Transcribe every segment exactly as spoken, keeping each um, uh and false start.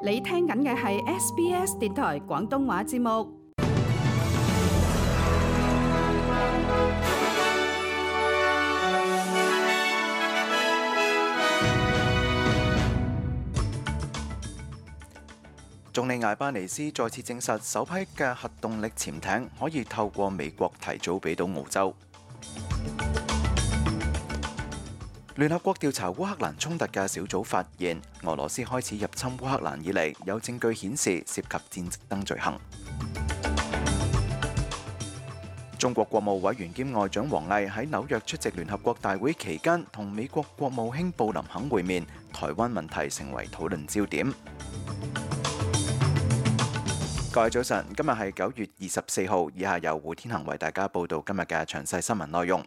你聽緊嘅係 S B S 電台廣東話節目。總理艾巴尼斯再次證實，首批嘅核動力潛艇可以透過美國提早俾到澳洲。聯合國調查烏克蘭衝突嘅小組發現，俄羅斯開始入侵烏克蘭以嚟，有證據顯示涉及戰爭罪行。中國國務委員兼外長王毅喺紐約出席聯合國大會期間，同美國國務卿布林肯會面，台灣問題成為討論焦點。各位早晨，今日係九月二十四號，以下由胡天行為大家報道今日嘅詳細新聞內容。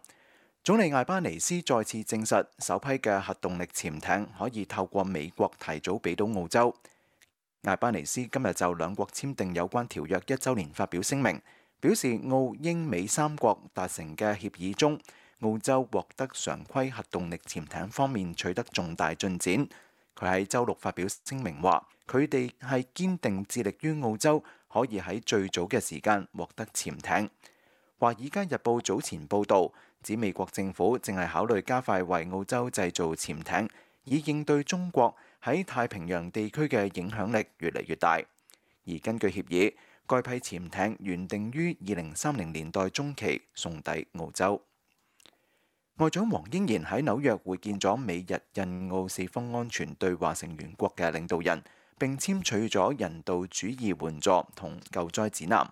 總理艾巴尼斯再次證實，首批嘅核動力潛艇可以透過美國提早俾到澳洲。艾巴尼斯今日就兩國簽訂有關條約一週年發表聲明，表示澳英美三國達成嘅協議中，澳洲獲得常規核動力潛艇方面取得重大進展。佢喺週六發表聲明話，佢哋係堅定致力於澳洲可以喺最早嘅時間獲得潛艇。華爾街日報早前報導，指美國政府正係考慮加快為澳洲製造潛艇，以應對中國喺太平洋地區嘅影響力越嚟越大。而根據協議，該批潛艇原定於二零三零年代中期送抵澳洲。外長黃英賢喺紐約會見咗美日印澳四方安全對話成員國嘅領導人，並簽署咗人道主義援助同救災指南。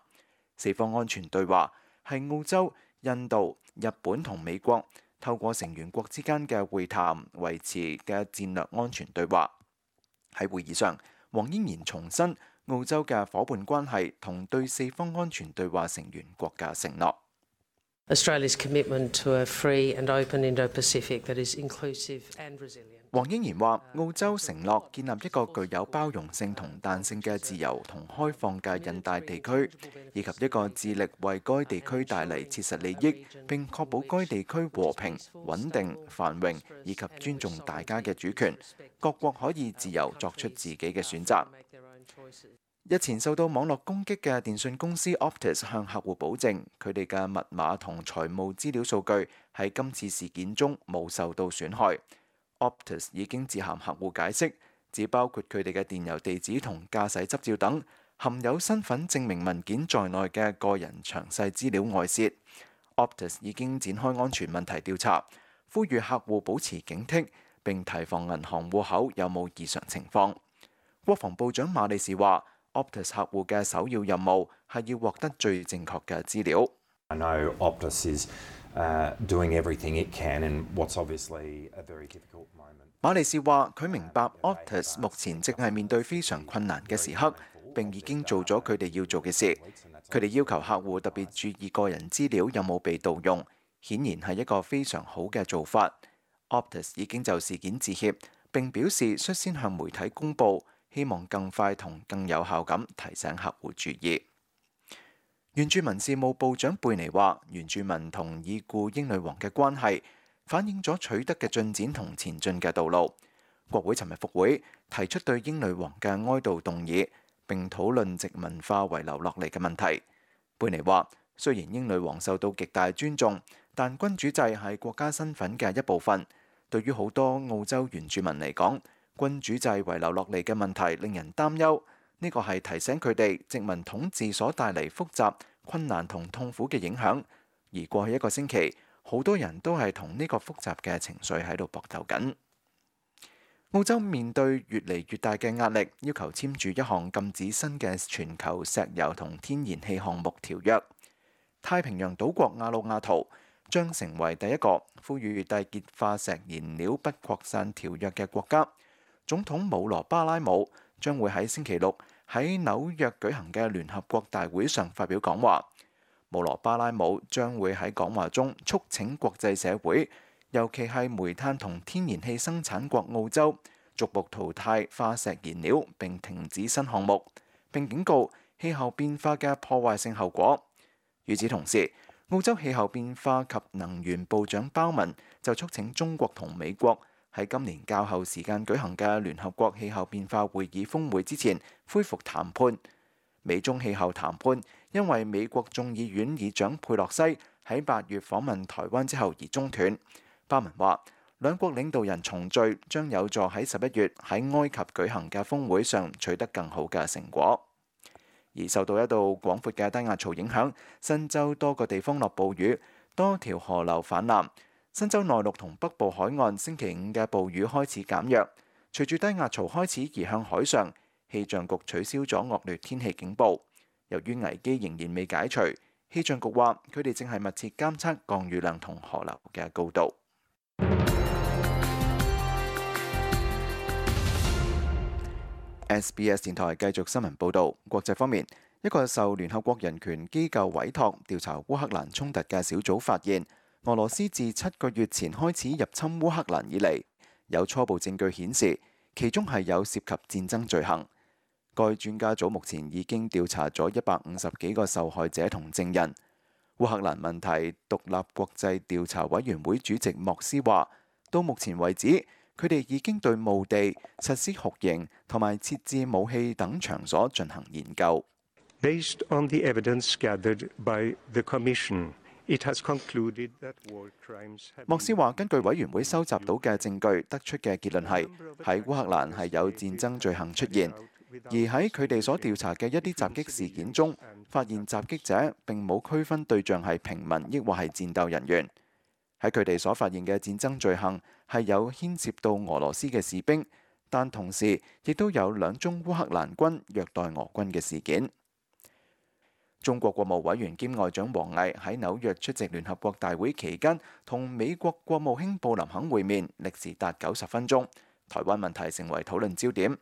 四方安全對話係澳洲、印度、日本同美國透過成員國之間嘅會談維持嘅戰略安全對話。喺會議上，黃英賢重申澳洲嘅伙伴關係同對四方安全對話成員國嘅承諾。Australia's commitment to a free and open Indo-Pacific that is inclusive and resilient. 黃英賢話：澳洲承諾建立一個具有包容性同彈性嘅自由同開放嘅印太地區，以及一個致力為該地區帶嚟切實利益，並確保該地區和平、穩定、繁榮，以及尊重大家嘅主權。各國可以自由作出自己嘅選擇。日前受到網絡攻擊嘅電訊公司 Optus 向客戶保證，佢哋嘅密碼同財務資料數據喺今次事件中冇受到損害。Optus 已經致函客戶解釋，只包括佢哋嘅電郵地址同駕駛執照等含有身份證明文件在內嘅個人詳細資料外泄。Optus 已經展開安全問題調查，呼籲客戶保持警惕，並提防銀行戶口有冇異常情況。國防部長馬利士話，Optus 客戶嘅首要任務係要獲得最正確嘅資料。I know Optus is uh, doing everything it can in what's obviously a very difficult moment. 馬利士話：佢明白 Optus 目前正係面對非常困難嘅時刻，並已經做咗佢哋要做嘅事。佢哋要求客戶特別注意個人資料有冇被盜用，顯然係一個非常好嘅做法。Optus 已經就事件致歉，並表示率先向媒體公佈，希望更快同更有效咁提醒客戶注意。原住民事務部長貝尼話：原住民同已故英女王嘅關係反映咗取得嘅進展同前進嘅道路。國會尋日復會，提出對英女王嘅哀悼動議，並討論殖民化遺留落嚟嘅問題。貝尼話：雖然英女王受到極大尊重，但君主制係國家身份嘅一部分。對於好多澳洲原住民嚟講，君主制遺留落嚟嘅問題令人擔憂。呢個係提醒佢哋殖民統治所帶嚟複雜、困難同痛苦嘅影響。而過去一個星期，好多人都係同呢個複雜嘅情緒喺度搏鬥緊。澳洲面對越嚟越大嘅壓力，要求簽署一項禁止新嘅全球石油同天然氣項目條約。太平洋島國亞魯亞圖將成為第一個呼籲締結化石燃料不擴散條約嘅國家。總統姆羅巴拉姆將會喺星期六喺紐約舉行嘅聯合國大會上發表講話。姆羅巴拉姆將會喺講話中促請國際社會，尤其係煤炭同天然氣生產國澳洲，逐步淘汰化石燃料並停止新項目，並警告氣候變化嘅破壞性後果。與此同時，澳洲氣候變化及能源部長鮑文就促請中國同美國喺今年較後時間舉行嘅聯合國氣候變化會議峰會之前恢復談判。美中氣候談判因為美國眾議院議長佩洛西喺八月訪問台灣之後而中斷。巴文話，兩國領導人重聚將有助喺十一月喺埃及舉行嘅峰會上取得更好嘅成果。而受到一道廣闊嘅低壓槽影響，新州多個地方落暴雨，多條河流泛濫。新州內陸同北部海岸星期五嘅暴雨開始減弱。隨住低壓槽開始移向海上，氣象局取消咗惡劣天氣警報。由於危機仍然未解除，氣象局話佢哋正係密切監測降雨量同河流嘅高度。S B S 電台繼續新聞報導。國際方面，一個受聯合國人權機構委託調查烏克蘭衝突嘅小組發現，俄羅斯自七個月前開始入侵烏克蘭以嚟，有初步證據顯示其中係有涉及戰爭罪行。該專家組目前已經調查咗一百五十幾個受害者同證人。烏克蘭問題獨立國際調查委員會主席莫斯話，到目前為止，佢哋已經對墓地、實施酷刑同埋設置武器等場所進行研究。Based on the evidence gathered by the Commission, it has concluded that war crimes have been... 莫斯話，根據委員會收集到嘅證據，得出嘅結論係喺烏克蘭係有戰爭罪行出現，而喺佢哋所調查嘅一啲襲擊事件中，發現襲擊者並冇區分對象係平民抑或係戰鬥人員。喺佢哋所發現嘅戰爭罪行係有牽涉到俄羅斯嘅士兵，但同時亦都有兩宗烏克蘭軍虐待俄軍嘅事件。中國國務委員兼外長王毅喺紐約出席聯合國大會期間，同美國國務卿布林肯會面，歷時達九十分鐘。台灣問題成為討論焦點。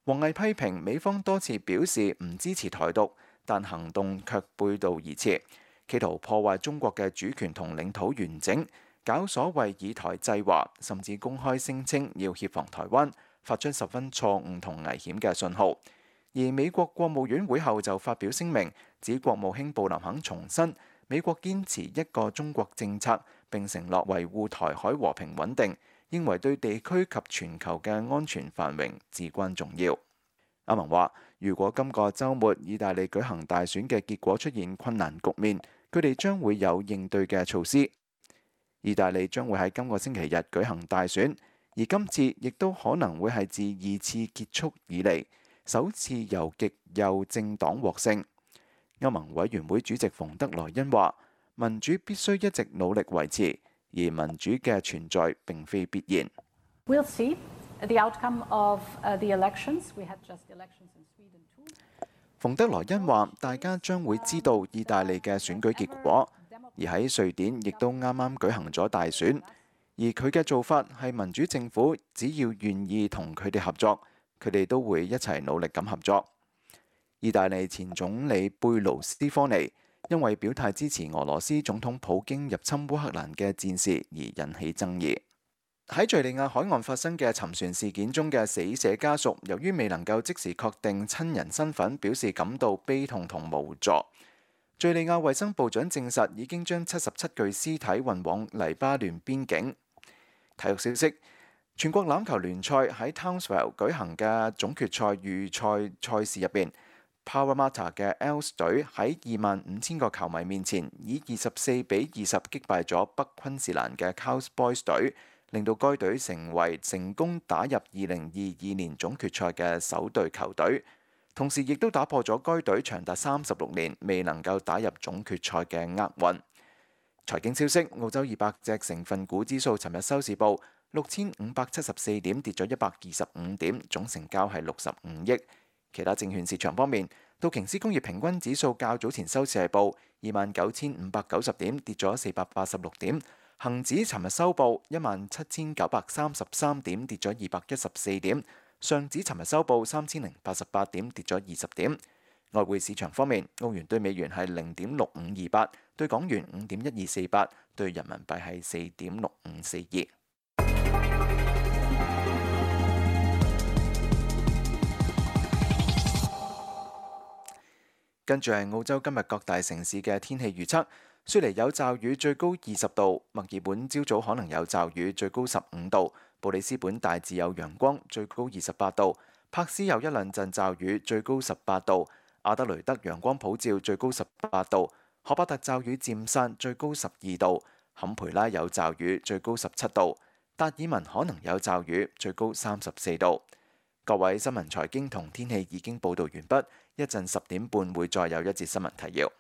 王毅批評美方多次表示唔支持台獨，但行動卻背道而馳，企圖破壞中國嘅主權同領土完整，搞所謂以台制華，甚至公開聲稱要協防台灣，發出十分錯誤同危險嘅信號。而美國國務院會後就發表聲明，指國務卿布林肯重申美國堅持一個中國政策，並承諾維護台海和平穩定，認為對地區及全球嘅安全繁榮至關重要。阿文話，如果今個週末意大利舉行大選嘅結果出現困難局面，佢哋將會有應對嘅措施。意大利將會喺今個星期日舉行大選，而今次亦都可能會係自二次結束以嚟首次由極右政黨獲勝。歐盟委員會主席馮德萊恩話，民主必須一直努力維持，而民主嘅存在並非必然。We'll see the outcome of the elections. We had just elections in Sweden too. 馮德萊恩話，大家將會知道意大利嘅選舉結果，而喺瑞典亦都啱啱舉行咗大選，而佢嘅做法係民主政府只要願意同佢哋合作，佢哋都會一齊努力咁合作。意大利前總理貝盧斯科尼因為表態支持俄羅斯總統普京入侵烏克蘭嘅戰事而引起爭議。喺敘利亞海岸發生嘅沉船事件中嘅死者家屬，由於未能夠即時確定親人身份，表示感到悲痛同無助。敘利亞衛生部長證實已經將七十七具屍體運往黎巴嫩邊境。體育消息：全國欖球聯賽喺 Townsville 舉行嘅總決賽預賽賽事入邊，Parramatta 嘅 Eels 隊喺二萬五千個球迷面前，以二十四比二十擊敗咗北昆士蘭嘅 Cowboys 隊，令到該隊成為成功打入二零二二年總決賽嘅首隊球隊，同時亦都打破咗該隊長達三十六年未能夠打入總決賽嘅厄運。財經消息：澳洲二百隻成分股指數尋日收市報六千五百七十四點，跌咗一百二十五點，總成交係六十五億。其他證券市場方面，道瓊斯工業平均指數較早前收市係報二萬九千五百九十點，跌咗四百八十六點。恒指尋日收報一萬七千九百三十三點，跌咗二百一十四點。上指尋日收報三千零八十八點，跌咗二十點。外匯市場方面，澳元對美元係零點六五二八，對港元五點一二四八，對人民幣係四點六五四二。跟住係澳洲今日各大城市嘅天氣預測。雪梨有驟雨，最高二十度；墨爾本朝早可能有驟雨，最高十五度；布里斯本大致有陽光，最高二十八度；柏斯有一兩陣驟雨，最高十八度；阿德雷德陽光普照，最高十八度；荷伯特驟雨漸散，最高十二度；坎培拉有驟雨，最高十七度；達爾文可能有驟雨，最高三十四度。各位，新聞財經同天氣已經報導完畢，一陣十點半會再有一節新聞提要。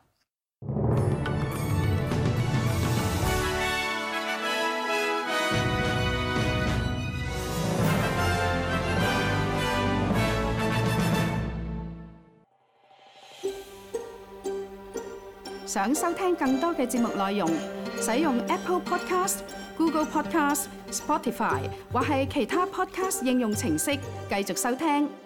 想收聽更多嘅節目內容，使用 Apple Podcast、Google Podcast、Spotify 或係其他 Podcast 應用程式繼續收聽。